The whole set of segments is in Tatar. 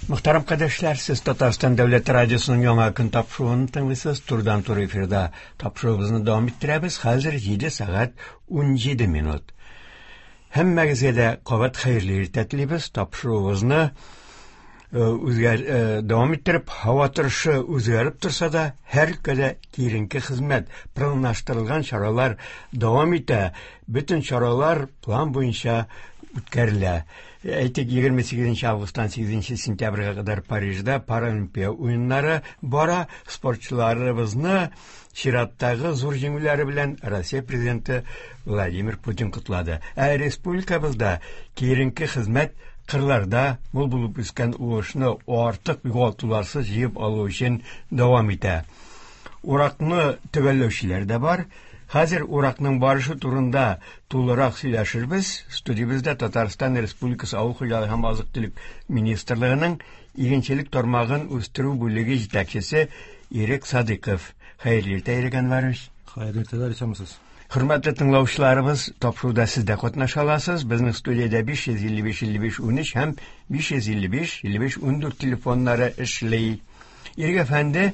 Мөхтәрәм кардәшләр, сез Татарстан дәүләт радиосының яңа көн тапшыруын тыңлыйсыз. Турыдан-туры эфирда тапшыруыбызны дәвам иттерәбез. Хәзер 7 сәгать 17 минут. Һәммәгезгә дә кабат хәерле иртә телибез. Тапшыруыбызны үзгәр дәвам иттереп, һава торышы үзгәреп торса да, һәр өлкәдә киеренке хезмәт, планлаштырылган чаралар дәвам итә. Бөтен чаралар план буенча үткәрелә. Әйтик, 28 августтан 8 сентябрьгә кадәр Парижда Паралимпия уеннары бара. Спортчыларыбызны чираттагы зур җиңүләре белән Россия президенты Владимир Путин котлады. Ә республикабызда киеренке хезмәт кырларда мул булып үскән уңышны артык югалтуларсыз җыеп алу өчен дәвам итә. Уракны төгәлләүчеләр дә бар. Хәзер уракның барышы турында тулырак сөйләшербез. Студиябездә Татарстан Республикасы Авыл хуҗалыгы һәм азык-төлек министрлыгының игенчелек тармагын үстерү бүлеге җитәкчесе Ирек Садыйков. Хәерле иртә, Ирек Әнвәрович. Хәерле иртәләр, исәнмесез. Хөрмәтле тыңлаучыларыбыз, тапшыруда сез дә катнаша аласыз. Безнең студиядә 555 55 13 һәм 555 55 14 телефоннары эшли. Ирек әфәнде,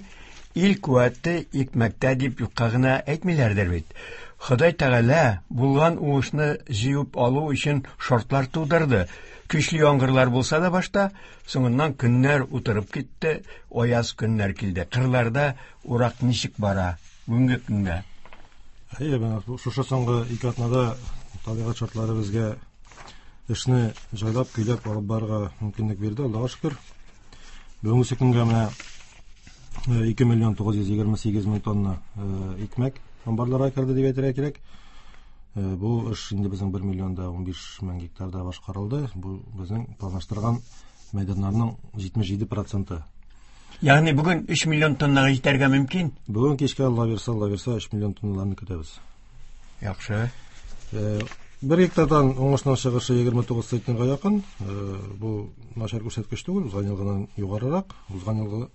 ил куәте икмәктә дип юкка гына әйтмиләрдер бит. Ходай Тәгалә булган уңышны җыеп алу өчен шартлар тудырды. Көчле яңгырлар булса да башта, соңыннан көннәр утырып китте, аяз көннәр килде. Кырларда урак ничек бара бүгенге көндә? Әйе, менә шушы соңгы ике атнада табигать шартлары безгә эшне җайлап, көйләп алып барырга мөмкинлек бирде, Аллага шөкер. Бүгенге көнгә менә 2 миллион 928 мең тонна икмәк амбарларга керде дип әйтергә кирәк. Бу эш инде безнең 1 миллион да 15 мең гектарда башкарылды. Бу безнең планлаштырган мәйданнарның 77%. Ягъни бүген 3 миллион тоннага җитәргә мөмкин? Бүген кичкә Алла бирсә, Алла бирсә 3 миллион тонналарны көтәбез. Яхшы. Бер гектардан уңышның чыгышы 29 центнерга якын. Бу начар күрсәткеч түгел, узган елгыдан югарырак. Узган елгы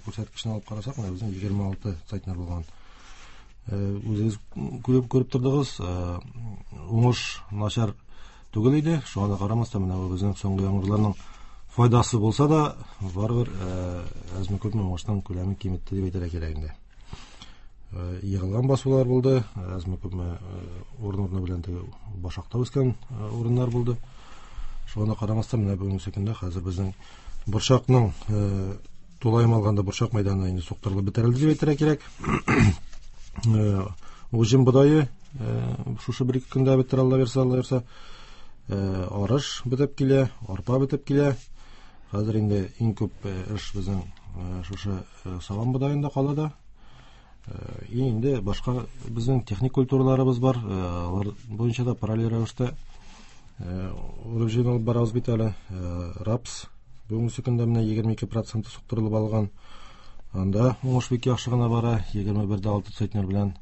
күрсәткечне алып карасак, менә безнең 26 центнер булган. Үзегез күреп тордыгыз, уңыш начар түгел иде. Шуңа да карамастан, менә бу безнең соңгы яңгырларның файдасы булса да, барыбер әзме-күпме уңышның күләмен киметте дип әйтергә кирәк инде. Егылган басулар булды, әзме-күпме урын-урыны белән теге башакта үскән урыннар булды. Шуңа да карамастан, менә бүгенге көндә хәзер безнең борчакның тулаем алганда борчак мәйданы инде суктырылып бетерелде дип әйтергә кирәк. Уҗым бодае шушы бер ике көндә бетер, Алла бирсә, Алла бирсә. Арыш бетеп килә, арпа бетеп килә. Хәзер инде иң күп эш безнең шушы салам бодаенда кала да. И инде башка безнең техник культураларыбыз бар. Алар буенча да параллель рәвештә урып җыен алып барабыз бит әле. Рапс бүгенге көндә менә 22% суктырылып алган. Анда уңыш бик яхшы гына бара, 21,6 центнер белән.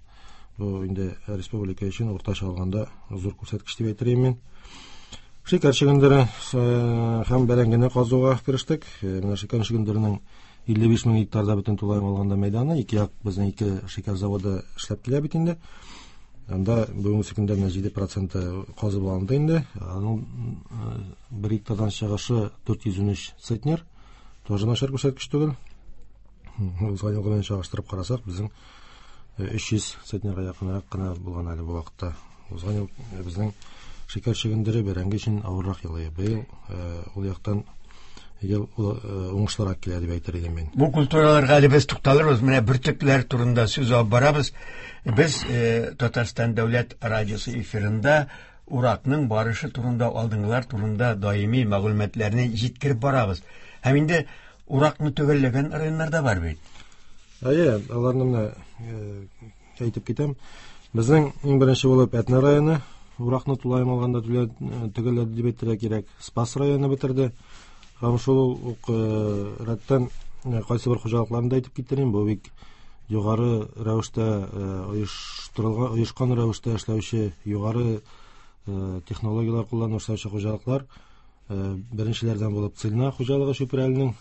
Бу инде республика өчен уртача алганда зур күрсәткеч дип әйтер идем мин. Шикәр чөгендере һәм бәрәңгене казуга керештек. Менә шикәр чөгендеренең 55 мең гектарда бөтен тулаем алганда мәйданы, ике як безнең ике шикәр заводы эшләп килә бит инде. Анда бүгенге көндә менә 7% казып алынды инде. Аның бер гектардан чыгышы 413 центнер. Тоже начар күрсәткеч түгел. Узган елгы белән чагыштырып карасак, безнең 300 центнерга якынрак кына булган әле бу вакытта. Узган ел безнең шикәр чөгендере бәрәңге өчен авыррак ел иде. Быел ул яктан ел уңышлырак килә дип әйтер идем мин. Бу культураларга әле без тукталырбыз. Менә бөртекләр турында сүз алып барабыз. Без Татарстан дәүләт радиосы эфирында уракның барышы турында, алдынгылар турында даими мәгълүматларны җиткереп барабыз. Һәм инде уракны төгәлләгән районнар да бар бит. Әйе, аларны менә әйтеп китәм. Безнең иң беренче булып Әтнә районы уракны тулаем алганда төгәлләде дип әйтергә кирәк. Спас районы бетерде. Һәм шул ук рәттән кайсы бер хуҗалыкларны да әйтеп китерим. Бу бик югары рәвештә оештырылган, оешкан рәвештә эшләүче, югары технологияләр кулланып эшләүче хуҗалыклар. Беренчеләрдән булып Цильна хуҗалыгы Чүпрәленең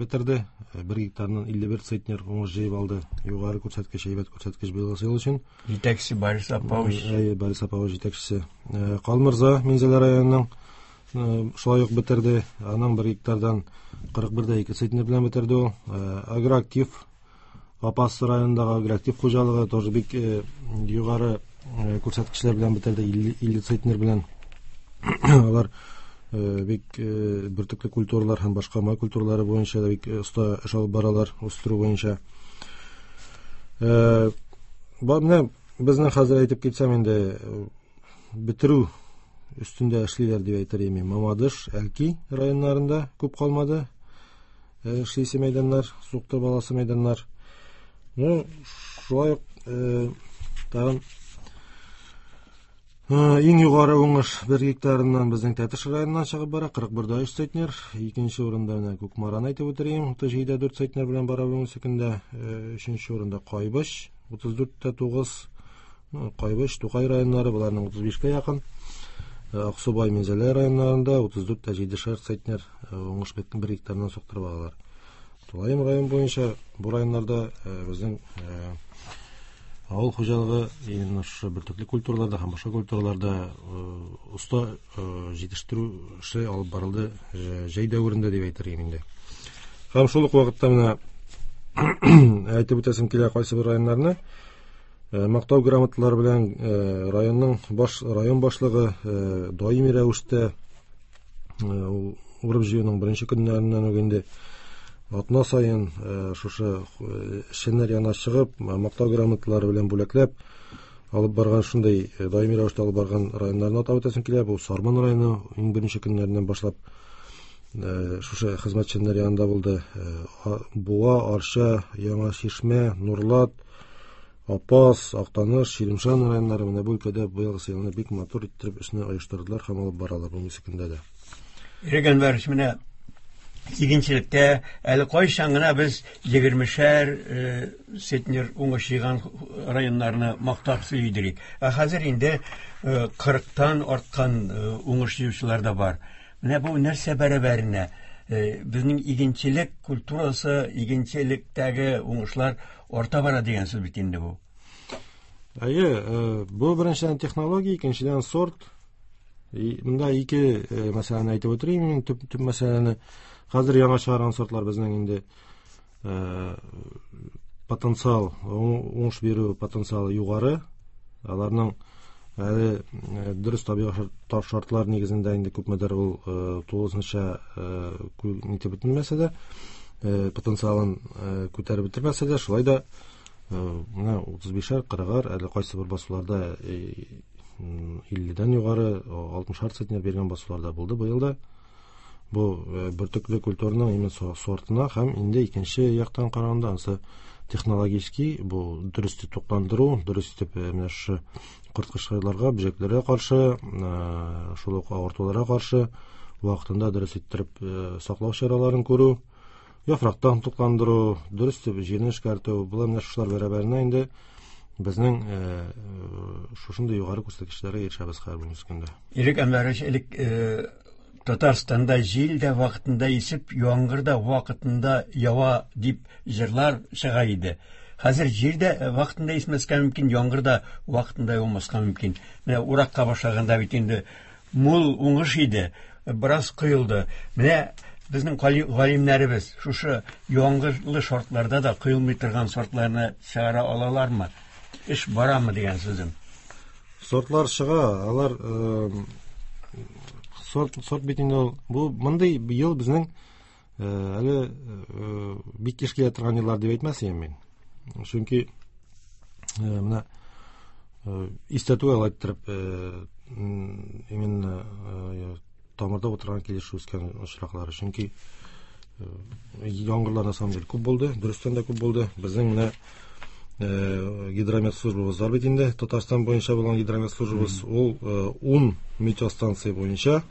бетерде. Бер гектарыннан 51 центнер уңыш җыеп алды. Югары күрсәткеч, әйбәт күрсәткеч быелгы ел өчен. Җитәкчесе Борис Апович. Әйе, Борис Апович җитәкчесе. Калмырза Минзәлә районының шулай ук бетерде. Аның бер гектардан 41,2 центнер белән бетерде ул. Агроактив Апас районындагы агроактив хуҗалыгы тоже бик югары күрсәткечләр белән бетерде, 50 центнер белән. Алар бик бөртекле культуралар һәм башка май культуралары буенча да бик оста эш алып баралар, үстерү буенча. Менә безнең хәзер әйтеп китсәм инде, бетерү өстендә эшлиләр дип әйтер идем. Мамадыш, Әлки районнарында күп калмады. Эшлисе мәйданнар, суктырып аласы мәйданнар. Ну, шулай ук тагын иң югары уңыш 1 гектарыннан безнең Тәтеш районыннан чыгып бара, 41,3 центнер. Икенче урында менә Кукмараны әйтеп үтерим, 37,4 центнер белән бара бүгенге көндә. Өченче урында Кайбыч, 34,9. Кайбыч, Тукай районнары, боларның 35-кә якын. Аксубай, Минзәлә районнарында 34,7 центнер уңыш бер гектардан суктырып алалар. Тулаем район буенча бу районнарда безнең авыл хуҗалыгы именно шушы бөртекле культураларда һәм башка культураларда оста җитештерү эше алып барылды җәй дәверендә дип әйтер идем инде. Һәм шул ук вакытта менә әйтеп үтәсем килә кайсы бер районнарны. Мактау грамоталары белән районның баш район башлыгы даими рәвештә ул урып җыюның беренче көннәреннән үк инде атна саен шушы эшчәннәр янына чыгып, мактау грамоталары белән бүләкләп алып барган, шундый даими рәвештә алып барган районнарны атап үтәсем килә. Бу Сарман районы иң беренче көннәреннән башлап шушы хезмәтчәннәр янында булды. Буа, Арча, Яңа Чишмә, Нурлат, Апас, Актаныш, Чирмешән районнары менә бу өлкәдә быелгы елны бик матур иттереп эшне оештырдылар һәм алып баралар бүгенге көндә дә. Ирек Әнвәрович, менә игенчелектә әле кайчан гына без 20-шәр центнер уңыш җыйган районнарны мактап сөйли идек. Ә хәзер инде 40-тан арткан уңыш җыючылар да бар. Менә бу нәрсә бәрабәренә? Безнең игенчелек культурасы, игенчелектәге уңышлар арта бара дигән сүз бит инде бу. Әйе, бу беренчедән технология, икенчедән сорт. Монда ике мәсьәләне әйтеп үтерим мин, төп мәсьәләне. Хәзер яңа чыгарган сортлар безнең инде потенциал, уңыш бирү потенциалы югары. Аларның әле дөрес табигый шартлар нигезендә инде күпмедер ул тулысынча нитеп бетермәсә дә, потенциалын күтәреп бетермәсә дә, шулай да менә 35-әр, 40-ар, әле кайсы бер басуларда 50-дән югары, 60-ар центнер биргән басуларда булды быел да. Бу бөртекле культураның именно сортына һәм инде икенче яктан караганда ансы технологический, бу дөрес итеп тукландыру, дөрес итеп менә шушы корткычларга, бөҗәкләргә каршы, шул ук авыртуларга каршы вакытында дөрес иттереп саклау чараларын күрү, яфрактан тукландыру, дөрес итеп җирне эшкәртү, болар менә шушылар бәрабәренә инде безнең шушындый югары күрсәткечләргә ирешәбез хәзер бүгенге көндә. Ирек Әнвәрович, элек Татарстанда җил дә вакытында исеп, яңгыр да вакытында ява дип җырлар чыга иде. Хәзер җил дә вакытында исмәскә мөмкин, яңгыр да вакытында яумаска мөмкин. Менә уракка башлаганда бит инде мул уңыш иде, бераз коелды. Менә безнең галимнәребез шушы яңгырлы шартларда да коелмый торган сортларны чыгара алалармы? Эш барамы дигән сүзем. Сортлар чыга, алар сорт бит инде ул. Бу мондый ел безнең әле бик еш килә торган еллар дип әйтмәс идем мин. Чөнки менә истә түгел әйттереп, именно тамырда утырган килеш үскән очраклары. Чөнки яңгырлар на самом деле күп булды, дөрестән дә күп булды. Безнең менә гидромет службабыз бар бит инде, Татарстан буенча булган гидромет службабыз, ул 10 метеостанция буенча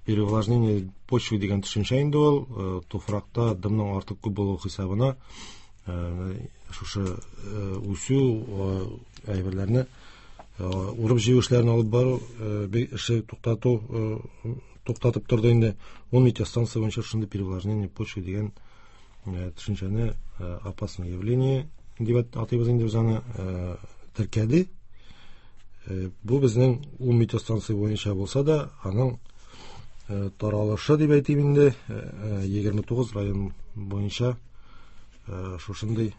переувлажнение почвы дигән төшенчә инде ул, туфракта дымның артык күп булуы хисабына шушы үсү әйберләрне урып җыю эшләрен алып бару эше туктатып торды инде. 10 метеостанция буенча шундый переувлажнение почвы дигән төшенчәне, опасное явление дип атыйбыз инде без аны, теркәде. Бу безнең 10 метеостанция буенча булса да, аның таралышы дип әйтим инде, 29 район буенча шушындый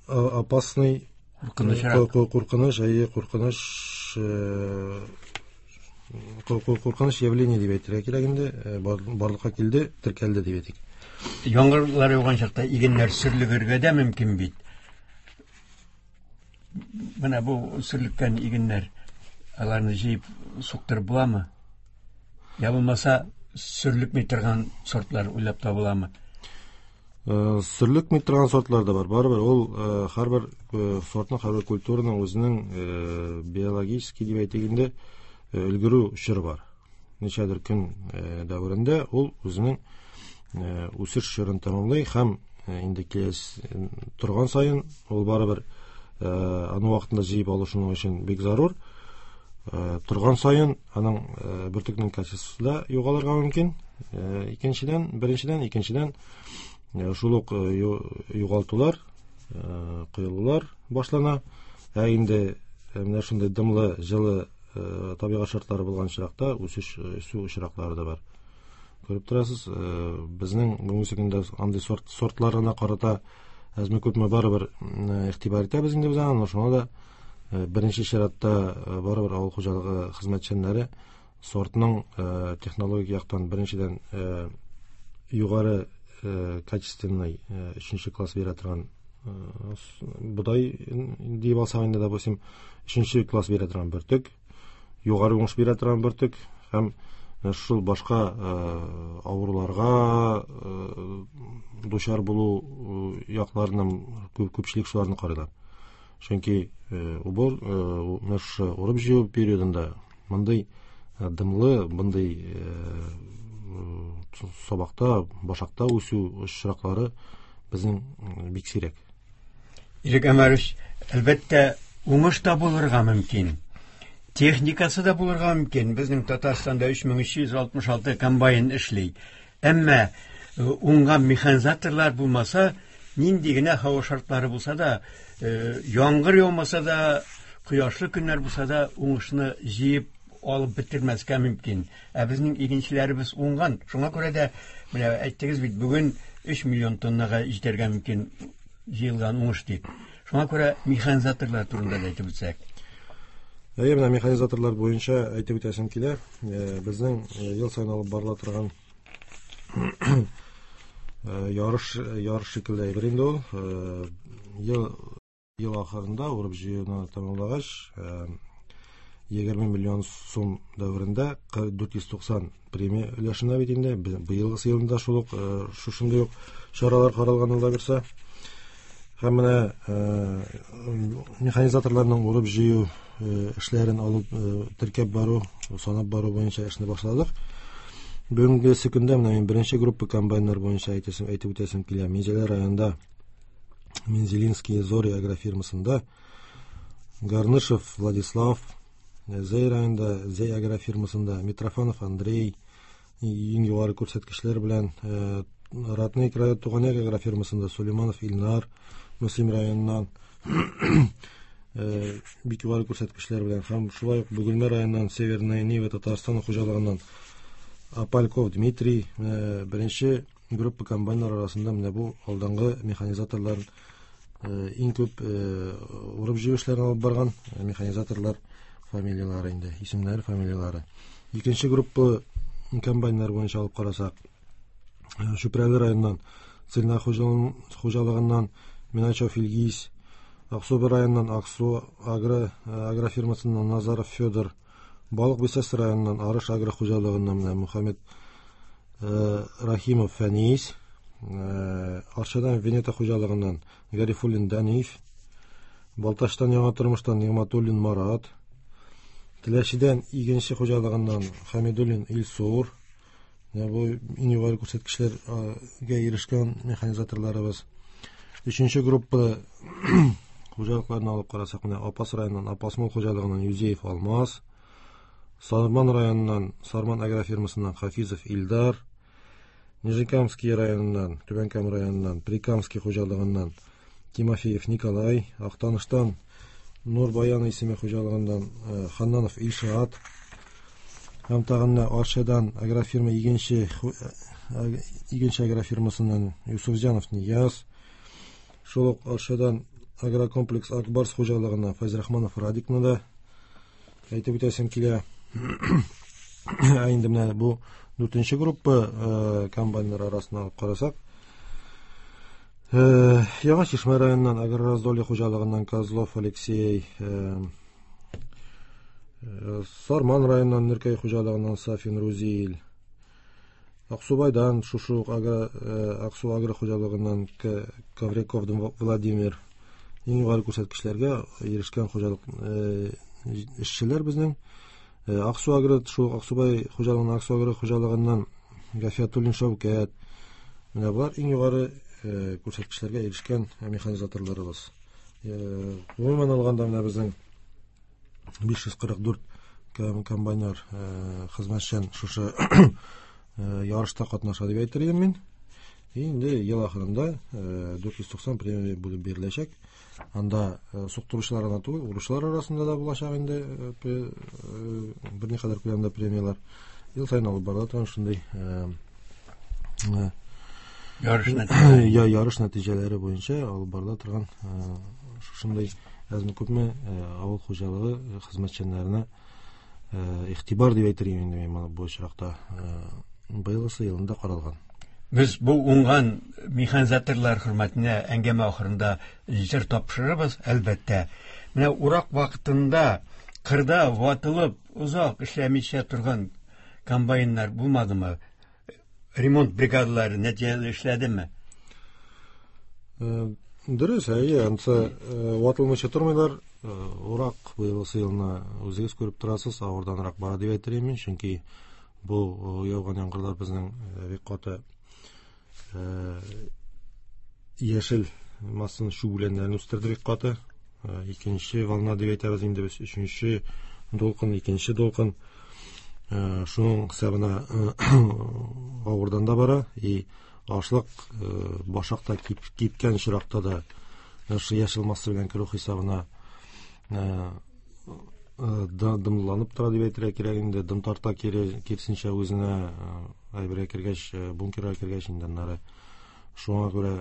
опасный куркыныч, әйе, куркыныч явление дип әйтергә кирәк инде, барлыкка килде, теркәлде дип әйтик. Яңгырлар яуган чакта игеннәр сөрлегергә дә мөмкин бит. Менә бу сөрлеккән игеннәр, аларны җыеп суктырып буламы? Я булмаса, сөрлекми торган сортлар уйлап табыламы? Сөрлекми торган сортлар да бар. Барыбер ул һәрбер сортның, һәрбер культураның үзенең биологический дип әйтик инде, өлгерү чоры бар. Ничәдер көн дәверендә ул үзенең үсеш чорын тәмамлый һәм инде киләсе торган саен ул барыбер аны вакытында җыеп алу шуның өчен бик зарур. Торган саен аның бөртекнең качествосы да югалырга мөмкин. Икенчедән, беренчедән, икенчедән, шул ук югалтулар, коелулар башлана. Ә инде менә шундый дымлы, җылы табигать шартлары булган очракта үсеш, үсү очраклары да бар. Күреп торасыз, безнең бүгенге көндә андый сортларына карата әзме күпме барыбер игътибар итәбез инде без аңа, шуңа да беренче чиратта барыбер авыл хуҗалыгы хезмәтчәннәре сортның технологик яктан беренчедән югары качественный өченче класс бирә торган бодай дип алсак инде, допустим, өченче класс бирә торган бөртек, югары уңыш бирә торган бөртек һәм шул башка авыруларга дучар булу якларының күпчелек шуларны карыйлар. Чөнки убор, менә шушы урып-җыю периодында мондый дымлы, мондый сабакта, башакта үсү очраклары безнең бик сирәк. Ирек Әмәрович, әлбәттә, уңыш та булырга мөмкин. Техникасы да булырга мөмкин. Безнең Татарстанда 3366 комбайн эшли. Әмма уңган механизаторлар булмаса, нинди генә һава шартлары булса да, яңгыр яумаса да, кояшлы көннәр булса да, уңышны җыеп алып бетермәскә мөмкин. Ә безнең игенчеләребез уңган. Шуңа күрә дә, менә әйттегез бит, бүген 3 миллион тоннага җитәргә мөмкин җыелган уңыш дип. Шуңа күрә механизаторлар турында да әйтеп үтсәк. Әйе, менә механизаторлар буенча әйтеп үтәсем килә. Безнең ел саен алып барыла торган ярыш шикелле әйбер инде ул. Ел ахырында урып җыюны тәмамлагач, 20 миллион сум дәверендә 490 премия өләшенә бит инде. Быелгысы елында шул ук, шушындый ук чаралар каралган ул да бирсә. Һәм менә механизаторларның урып җыю эшләрен алып, теркәп бару, санап бару буенча эшне башладык. Бүгенге көндә менә мин беренче группа комбайннар буенча әйтеп үтәсем килә. Минзәлә районында Мензелинские зори агрофирмасында Гарнышев Владислав, Зәй районында Зәй агрофирмасында Митрофанов Андрей иң югары күрсәткечләр белән, Родные края Туган як агрофирмасында Сулейманов Илнар, Мөслим районыннан бик югары күрсәткечләр белән һәм шулай ук Бөгелмә районыннан Северная Нива Татарстан хуҗалыгыннан Апальков Дмитрий, беренче группа комбайннар арасында менә бу алдынгы механизаторлар, иң күп урып җыю эшләрен алып барган механизаторлар фамилияләре инде, исемнәре, фамилияләре. Икенче группа комбайннар буенча алып карасак, Чүпрәле районыннан Цильна хуҗалыгыннан Миначев Илгиз, Аксубай районыннан Аксу агрофирмасыннан Назаров Федор, Балык Бистәсе районыннан Арыш агро хуҗалыгыннан менә Мухаммед Рахимов Фәнис, Арчадан Венета хуҗалыгыннан Гарифуллин Даниф, Балтачтан Яңа тормыштан Нигматуллин Марат, Теләчедән Игенче хуҗалыгыннан Хамидуллин Илсур. Менә бу иң югары күрсәткечләргә ирешкән механизаторларыбыз. Өченче группа хуҗалыкларны алып карасак, менә Апас районыннан Апас мал хуҗалыгыннан Юзеев Алмаз, Сарман районыннан Сарман агрофирмасыннан Хафизов Илдар, Нижнекамский районыннан, Түбән Кама районыннан Прикамский хуҗалыгыннан Тимофеев Николай, Актаныштан Нур Баян исеме хуҗалыгыннан Ханнанов Илшат һәм тагын Арчадан агрофирма Игенче Игенче агрофирмасыннан Юсуфҗанов Нияз, шул ук Арчадан агрокомплекс Акбарс хуҗалыгыннан Фәйзрахманов Радикны да әйтеп үтәсем килә. Ә инде менә бу дүртенче группа комбайннар арасына алып карасак, Яңа Чишмә районыннан Агрораздолье хуҗалыгыннан Козлов Алексей, Сарман районыннан Нөркәй хуҗалыгыннан Сафин Рузил, Аксубайдан шушы ук Аксу агро хуҗалыгыннан Ковряков Владимир. Иң югары күрсәткечләргә ирешкән хуҗалык эшчеләр безнең. Аксу агро, шул Аксубай хуҗалыгыннан Аксу агро хуҗалыгыннан Гафиятуллин Шәүкәт. Менә болар иң югары күрсәткечләргә ирешкән механизаторларыбыз. Гомумән алганда, менә безнең 544 комбайнер хезмәтчән шушы ярышта катнаша дип әйтер идем мин. Инде ел ахырында 490 премия бүлеп биреләчәк. Анда суктыручылар гына түгел, уручылар арасында да булачак инде берникадәр күләмдә премияләр. Ел саен алып барыла торган шундый ярыш нәтиҗәләре. Ярыш нәтиҗәләре буенча алып барыла торган шушындый әзме күпме авыл хуҗалыгы хезмәтчәннәренә игътибар дип әйтер идем инде мин бу очракта, быелгысы елында каралган. Без бу уңган механизаторлар хөрмәтенә әңгәмә ахырында җыр тапшырырбыз, әлбәттә. Менә урак вакытында кырда ватылып, озак эшләмичә торган комбайннар булмадымы? Ремонт бригадалары нәтиҗәле эшләдеме? Дөрес, әйе, ансы ватылмыйча тормыйлар. Урак быелгысы елны, үзегез күреп торасыз, авырданрак бара дип әйтер идем мин, чөнки бу яуган яңгырлар безнең бик каты яшел массаны, чүп үләннәрен үстерде бик каты. Икенче волна дип әйтәбез инде без, өченче дулкын, икенче дулкын. Шуның хисабына авырдан да бара и ашлык башак та кипкән очракта да шушы яшел масса белән керү хисабына дымланып тора дип әйтергә кирәк инде, дым тарта киресенчә үзенә әйбергә кергәч, бункерга кергәч инде аннары. Шуңа күрә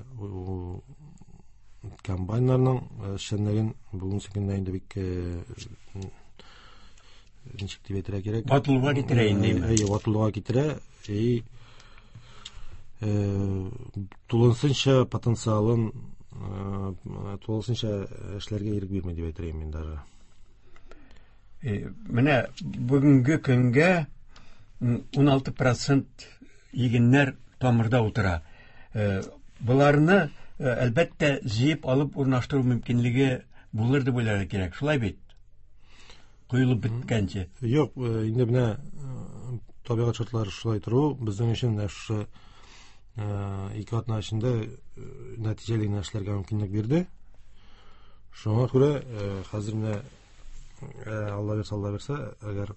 комбайннарның эшчәнлеген бүгенге көндә инде бик, ничек дип әйтергә кирәк, ватылуга китерә инде. Әйе, ватылуга китерә и тулысынча потенциалын тулысынча эшләргә ирек бирми дип әйтер идем мин даже. Менә бүгенге көнгә 16% игеннәр тамырда утыра. Боларны, әлбәттә, җыеп алып урнаштыру мөмкинлеге булыр дип уйларга кирәк. Шулай бит? Коелып беткәнче. Юк, инде менә табигать шартлары шулай тору безнең өчен менә шушы 2 атна эчендә нәтиҗәле генә эшләргә мөмкинлек бирде. Шуңа күрә хәзер менә, Алла бирсә, Алла бирсә, әгәр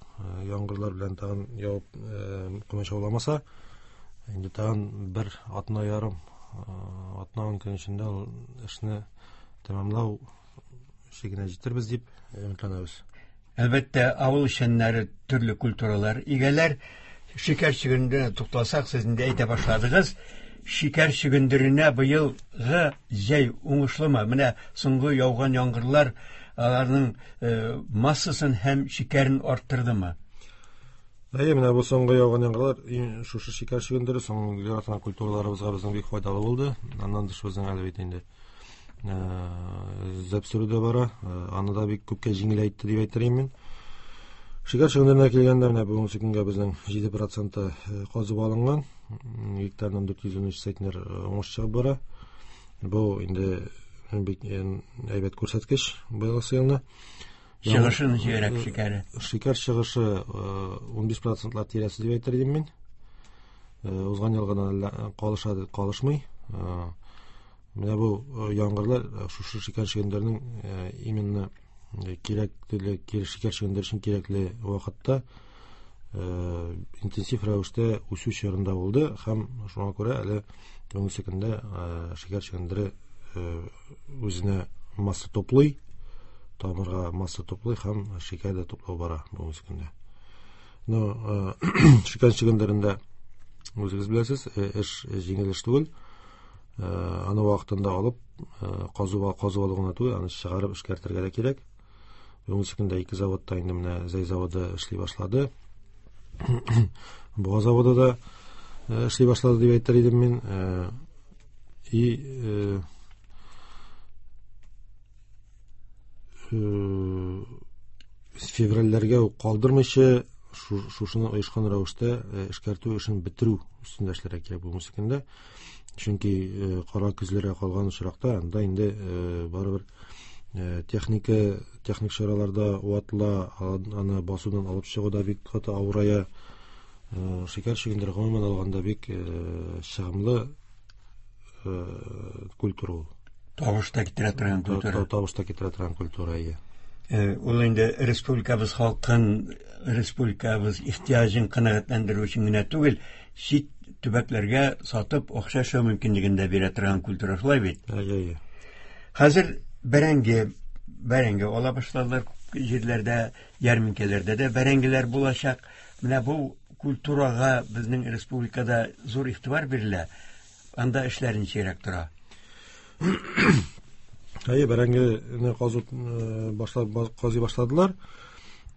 яңгырлар белән тагын явып комачауламаса, инде тагын бер атна ярым, атна 10 көн эчендә ул эшне тәмамлау чигенә җитербез дип өметләнәбез. Әлбәттә, авыл эшчәннәре төрле культуралар игәләр. Шикәр чөгендеренә тукталсак, сез инде әйтә башладыгыз. Шикәр чөгендеренә быелгы җәй уңышлымы? Менә соңгы яуган яңгырлар аларның массасын һәм шикәрен арттырдымы? Әйе, менә бу соңгы яуган яңгырлар шушы шикәр чөгендере соңгы яраткан культураларыбызга безнең бик файдалы булды. Аннан тыш безнең әле бит инде зәп сөрү дә бара. Аны да бик күпкә җиңеләйтте дип әйтер идем мин. Шикәр чөгендеренә килгәндә, менә бүгенге көнгә безнең 7% казып алынган. Гектардан 413 центнер уңыш чыгып бара. Бу инде бик әйбәт күрсәткеч быелгы елны. Чыгышы ничегрәк шикәре? Шикәр чыгышы 15 процентлар тирәсе дип әйтер идем мин. Узган елгыдан әллә калыша, калышмый. Менә бу яңгырлар шушы шикәр чөгендеренең именно кирәкле, шикәр чөгендер өчен кирәкле вакытта, интенсив рәвештә үсү чорында булды һәм шуңа күрә әле бүгенге көндә шикәр чөгендере үзенә масса туплый. Тамырга масса туплый һәм шикәр дә туплау бара бүгенге көндә. Но шикәр чөгендерендә үзегез беләсез, эш җиңел эш түгел. Аны вакытында алып, казуга казып алу гына түгел, аны чыгарып эшкәртергә дә кирәк. Бүгенге көндә ике заводта инде менә Зәй заводы эшли башлады. Буа заводы да эшли башлады дип әйтер идем мин. И февральләргә үк калдырмыйча шушыны оешкан рәвештә эшкәртү эшен бетерү өстендә эшләргә кирәк бүгенге көндә. Чөнки кара көзләргә калган очракта анда инде барыбер техника, техник чаралар да ватыла, аны басудан алып чыгу да бик каты авырая. Шикәр чөгендере гомумән алганда бик чыгымлы культура ул. Табыш та китерә торган культура. Табыш та китерә торган культура, әйе. Ул инде республикабыз халкын, республикабыз ихтыяҗын канәгатьләндерү өчен генә түгел, чит төбәкләргә сатып акча эшләү мөмкинлеген дә бирә торган культура, шулай бит? Әйе, әйе. Хәзер бәрәңге ала башладылар күп җирләрдә, ярминкәләрдә дә бәрәңгеләр булачак. Менә бу культурага безнең республикада зур игътибар бирелә. Анда эшләр ничегрәк тора? Әйе, бәрәңгене казу башлап казый башладылар.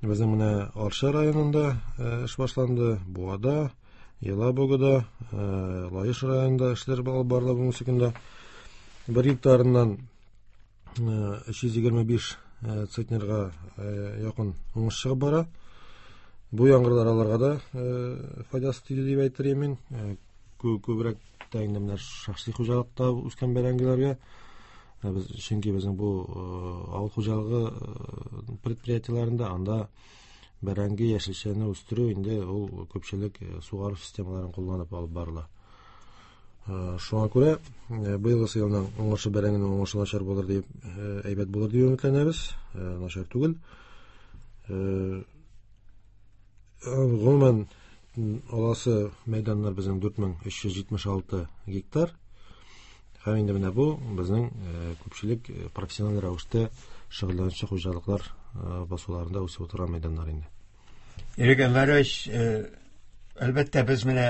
Безнең менә Арча районында эш башланды, Буада, Елабугада, Лаеш районында эшләр алып барыла бүгенге көндә. Бер гектарыннан 325 центнерга якын уңыш чыгып бара. Бу яңгырлар аларга да файдасы тиде дип әйтер идем мин. Күбрәк тә инде менә шәхси хуҗалыкта үскән бәрәңгеләргә. Без, чөнки безнең бу авыл хуҗалыгы предприятиеләрендә анда бәрәңге яшелчәне үстерү инде ул күпчелек сугару системаларын кулланып алып барыла. Шуңа күрә быелгы елның уңышы бәрәңгенең уңышы начар булыр дип, әйбәт булыр дип өметләнәбез. Начар түгел. Гомумән аласы мәйданнар безнең 4376 гектар. Һәм инде менә бу безнең күпчелек профессиональ рәвештә шөгыльләнүче хуҗалыклар басуларында үсеп утырган мәйданнар инде. Ирек Әнвәрович, әлбәттә, без менә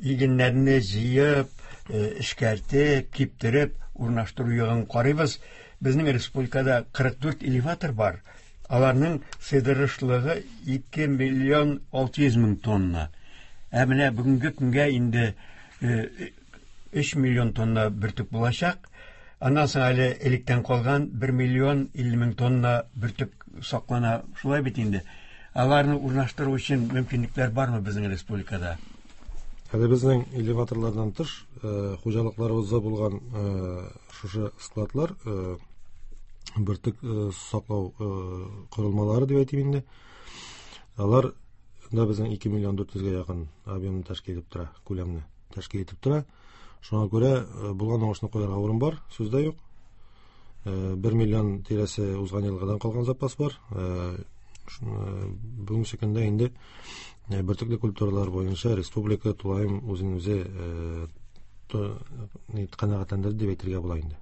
игеннәрне җыеп, эшкәртеп, киптереп урнаштыру ягын карыйбыз. Безнең республикада 44 элеватор бар. Аларның сыйдырышлыгы 2 миллион 600 мең тонна. Ә менә бүгенге көнгә инде 3 миллион тонна бөртек булачак. Аннан соң әле электән калган 1 миллион 50 мең тонна бөртек саклана. Шулай бит инде. Аларны урнаштыру өчен мөмкинлекләр бармы безнең республикада? Әле безнең элеваторлардан тыш, хуҗалыкларыбызда булган шушы складлар, бөртек саклау корылмалары дип әйтим инде. Алар да безнең 2 миллион 400гә якын объемны тәшкил итеп тора, күләмне тәшкил итеп тора. Шуңа күрә булган уңышны куярга урын бар, сүз дә юк. 1 миллион тирәсе узган елгыдан калган запас бар. Бүгенге көндә инде бөртекле культуралар буенча республика тулаем үзен үзе канәгатьләндерде дип әйтергә була инде.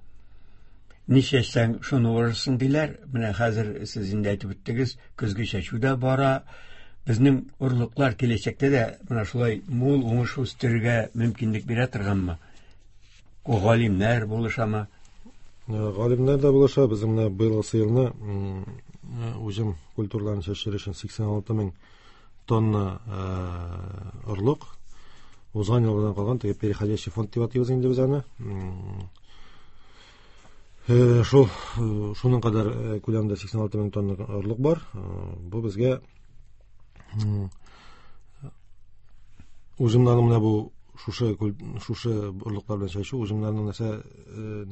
Ни чәчсәң, шуны урырсың диләр. Менә хәзер сез инде әйтеп үттегез, көзге чәчү дә бара. Безнең орлыклар киләчәктә дә менә шулай мул уңыш үстерергә мөмкинлек бирә торганмы? Галимнәр булышамы? Галимнәр дә булыша. Безнең менә быелгы елны уҗым культураларын чәчер өчен 86 мең тонна орлык. Узган елдан калган теге переходящий фонд дип атыйбыз инде без аны. Шул, шуның кадәр күләмдә 86 мең тонна орлык бар. Бу безгә уҗымнарның менә бу шушы орлыклар белән чәчү уҗымнарның нәрсә,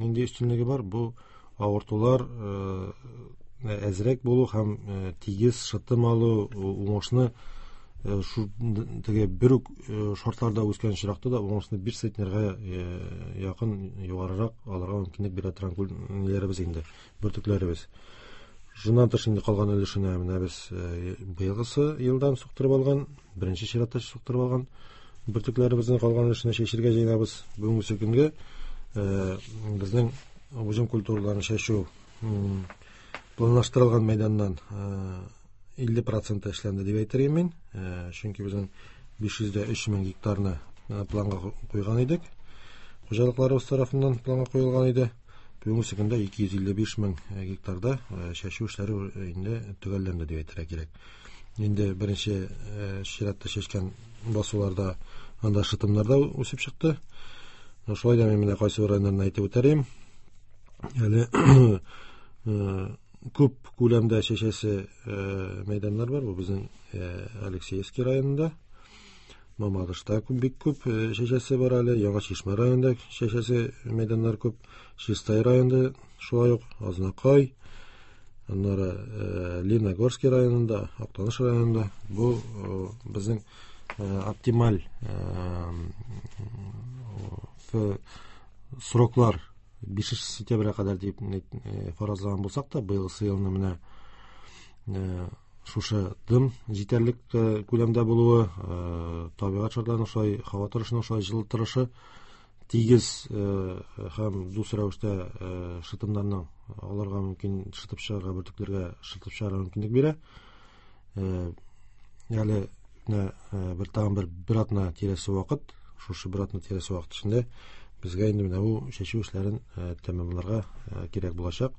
нинди өстенлеге бар? Бу авыртулар әзрәк булу һәм тигез шытым алу, уңышны шу теге бер үк шартларда үскән очракта да уңышны 5 центнерга якын югарырак алырга мөмкинлек бирә торган ниләребез инде, бөртекләребез. Шуннан тыш инде калган өлешенә менә без быелгысы елдан суктырып алган, беренче чиратта суктырып алган бөртекләребезнең калган өлешенә чәчергә җыенабыз. Бүгенге көнгә безнең уҗым культураларын чәчү Планлаштырылган мәйданнан 50% эшләнде дип әйтер идем мин. Чөнки безнең 503 мең гектарны планга куйган идек. Хуҗалыкларыбыз тарафыннан планга куелган иде. Бүгенге көндә 255 мең гектарда чәчү эшләре инде төгәлләнде дип әйтергә кирәк. Инде беренче чиратта чәчкән басуларда анда шытымнар да үсеп чыкты. Шулай да мин менә кайсы бер районнарны әйтеп үтәр идем. Әле күп күләмдә чәчәсе мәйданнар бар. Бу безнең Алексеевский районында. Мамадышта бик күп чәчәсе бар әле. Яңа Чишмә районында чәчәсе мәйданнар күп. Чистай районында шулай ук Азнакай, аннары Лениногорский районында, Актаныш районында. Бу безнең оптималь сроклар 5 сентябрьгә кадәр дип фаразлаган булсак та, быелгысы елны менә шушы дым җитәрлек күләмдә булуы, табигать шартларының шулай, һава торышының шулай җылы торышы, тигез һәм дус рәвештә шытымнарның аларга мөмкин шытып чыгарга, бөртекләргә шытып чыгарга мөмкинлек бирә. Әле менә бер тагын бер атна тирәсе вакыт, шушы бер атна тирәсе вакыт эчендә безгә инде менә бу чәчү эшләрен тәмамларга кирәк булачак.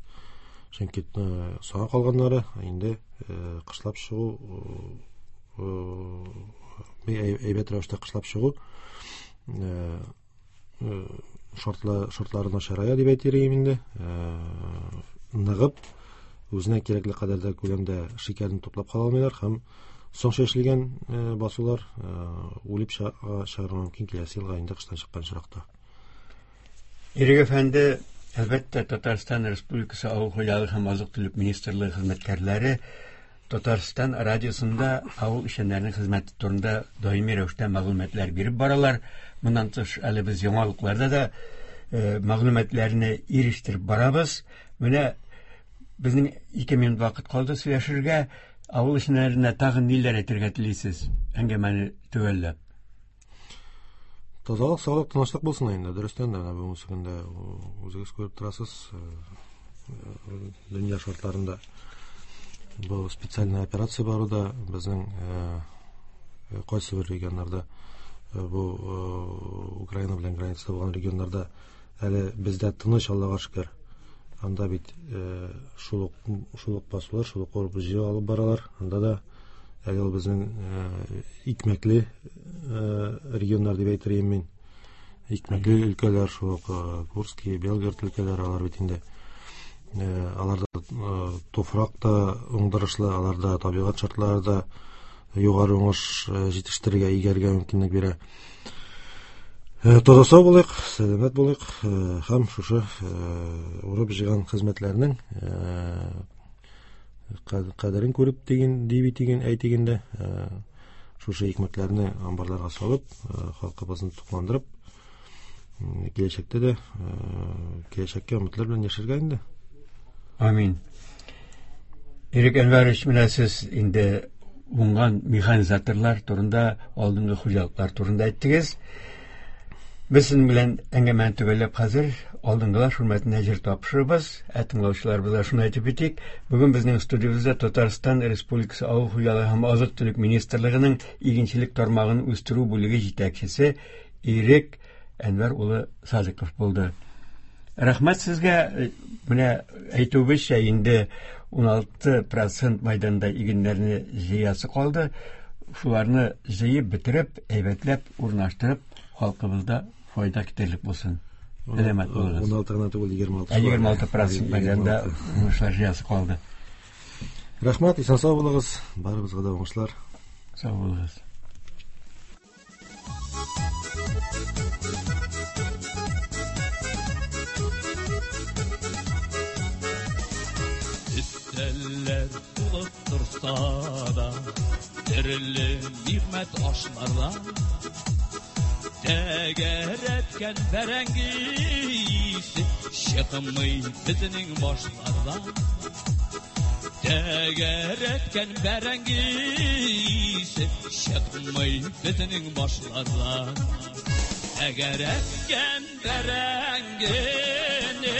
Чөнки соңга калганнары инде кышлап чыгу, әйбәт рәвештә кышлап чыгу шартлары начарая дип әйтер идем инде. Ныгып, үзенә кирәкле кадәрдә күләмдә шикәрне туплап кала алмыйлар һәм соң чәчелгән басулар үлеп чыгарга мөмкин киләсе елга инде кыштан чыккан очракта. Ирек әфәнде, әлбәттә, Татарстан Республикасы Авыл хуҗалыгы һәм азык-төлек министрлыгы хезмәткәрләре Татарстан радиосында авыл эшчәннәренең хезмәте турында даими рәвештә мәгълүматлар биреп баралар. Моннан тыш әле без яңалыкларда да мәгълүматларны ирештереп барабыз. Менә безнең 2 минут вакыт калды сөйләшергә. Авыл эшчәннәренә тагын ниләр әйтергә телисез? Әңгәмәне төгәлләп. Тазалык, саулык, тынычлык булсын инде. Дөрестән дә, бүгенге көндә үзегез күреп торасыз, дөнья шартларында бу специальная операция баруда безнең кайсы бер регионнарда, бу Украина белән границада булган регионнарда әле бездә тыныч, Аллага шөкер. Анда бит шул ук басулар, шул ук урып җыю алып баралар. Анда да әле ул безнең икмәкле регионнар дип әйтер идем мин. Икмәкле өлкәләр, шул ук Курский, Белгород өлкәләре, алар бит инде аларда туфрак та уңдырышлы, аларда табигать шартлары да югары уңыш җитештерергә, игәргә мөмкинлек бирә. Таза сау булыйк, сәламәт булыйк һәм шушы урып җыйган хезмәтләрнең кадерен күреп дигән, дип әйтеген, әйтегендә, шушы икмәкләрне амбарларга салып, халкыбызны тукландырып, киләчәктә дә, киләчәккә өметләр белән яшәргә инде. Амин. Ирек Әнвәрович, менә сез инде уңган механизаторлар турында, алдынгы хуҗалыклар турында әйттегез. Без сезнең белән әңгәмәне төгәлләп хәзер алдынгылар хөрмәтенә җыр тапшырырбыз. Ә тыңлаучыларыбызга шуны әйтеп үтик, бүген безнең студиябездә Татарстан Республикасы Авыл хуҗалыгы һәм азык-төлек министрлыгының игенчелек тармагын үстерү бүлеге җитәкчесе Ирек Әнвәр улы Садыков булды. Рәхмәт сезгә. Менә әйтүебезчә, инде 16% майданда игеннәрне җыясы калды. Шуларны җыеп бетереп, әйбәтләп урнаштырып, халкыбызда файда китерерлек булсын. Сәламәт булыгыз. 16 гына түгел, 26. Ә 26% майданда уңышлар җыясы калды. Рәхмәт, исән сау булыгыз. Барыбызга да уңышлар. Сау булыгыз. Өстәлләр тулып торса да, төрле нигъмәт ашлардан, тәгәрәткән бәрәңге исе чыкмый безнең башлардан. Тәгәрәткән бәрәңге исе чыкмый безнең башлардан. Тәгәрәткән бәрәңгене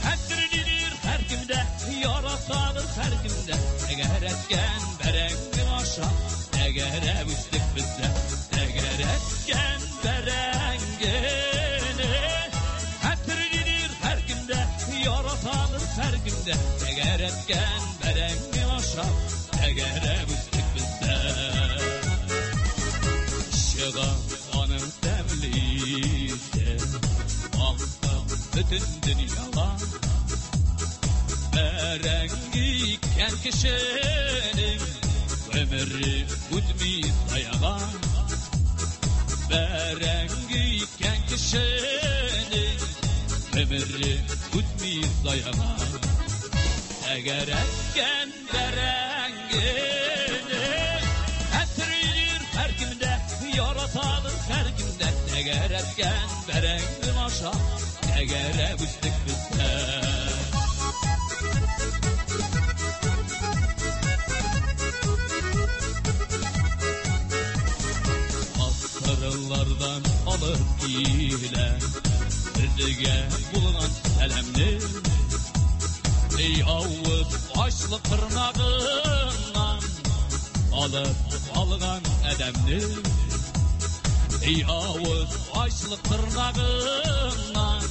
хәтерлидер һәркем дә яратадыр һәркемдә. Тәгәрәткән бәрәңге аша, тәгәрәп үстек без дә. Тәгәрәткән бәрәңгене хәтерлидер һәркемдә, яратадыр һәркемдә. Тәгәрәткән бәрәңге аша, тәгәрәп үстек без дә. Чыга аның тәмле исе, аңкып бөтен дөньяга. Бәрәңге иккән кешенең гомере үтми заяга. Бәрәңге иккән кешенең гомере үтми заяга. Тәгәрәткән бәрәңгене хәтерлир һәркемдә, яратадыр һәркемдә. Тәгәрәткән бәрәңге аша, тәгәрәп үстек без дә. Асырлардан алып килә безгә булган сәламне. Ey авыз ачлык тырнагыннан алып алган адәмне. Ey авыз ачлык тырнагыннан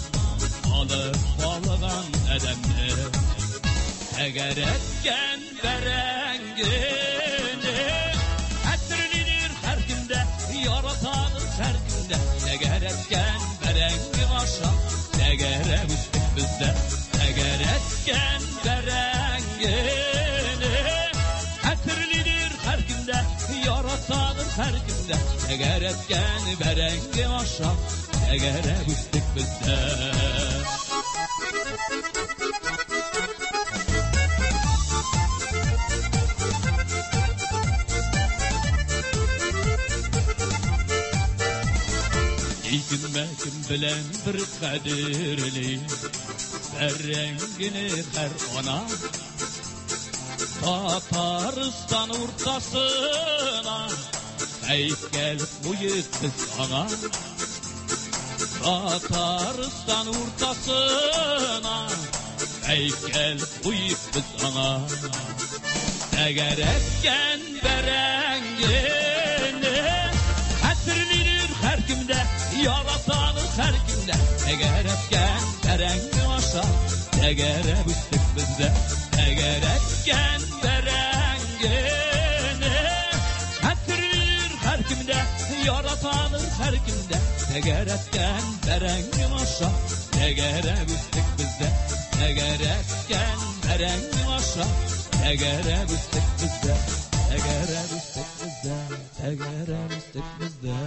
алып алган адәмне. Тәгәрәткән бәрәңгене хәтерлидер һәркемдә, яратадыр һәркемдә. Тәгәрәткән бәрәңге аша, тәгәрәп үстек без дә. Тәгәрәткән бәрәңгене хәтерлидер һәркемдә, яратадыр һәркемдә. Тәгәрәткән бәрәңге аша, тәгәрәп үстек без дә. Кем белән бер кадерли бәрәңгене һәр ана. Татарстан уртасына һәйкәл куеп без аңа. Татарстан уртасына һәйкәл куеп без аңа. Тәгәрәткән бәрәңгене хәтерлидер һәркемдә, яратадыр һәркемдә. Тәгәрәткән бәрәңге аша, тәгәрәп үстек без дә. Тәгәрәткән бәрәңгене хәтерлидер һәркемдә, яратадыр һәркемдә. Тәгәрәткән бәрәңге аша, тәгәрәп үстек без дә. Тәгәрәткән бәрәңге аша, тәгәрәп үстек без дә. Тәгәрәп үстек без дә, тәгәрәп үстек без дә.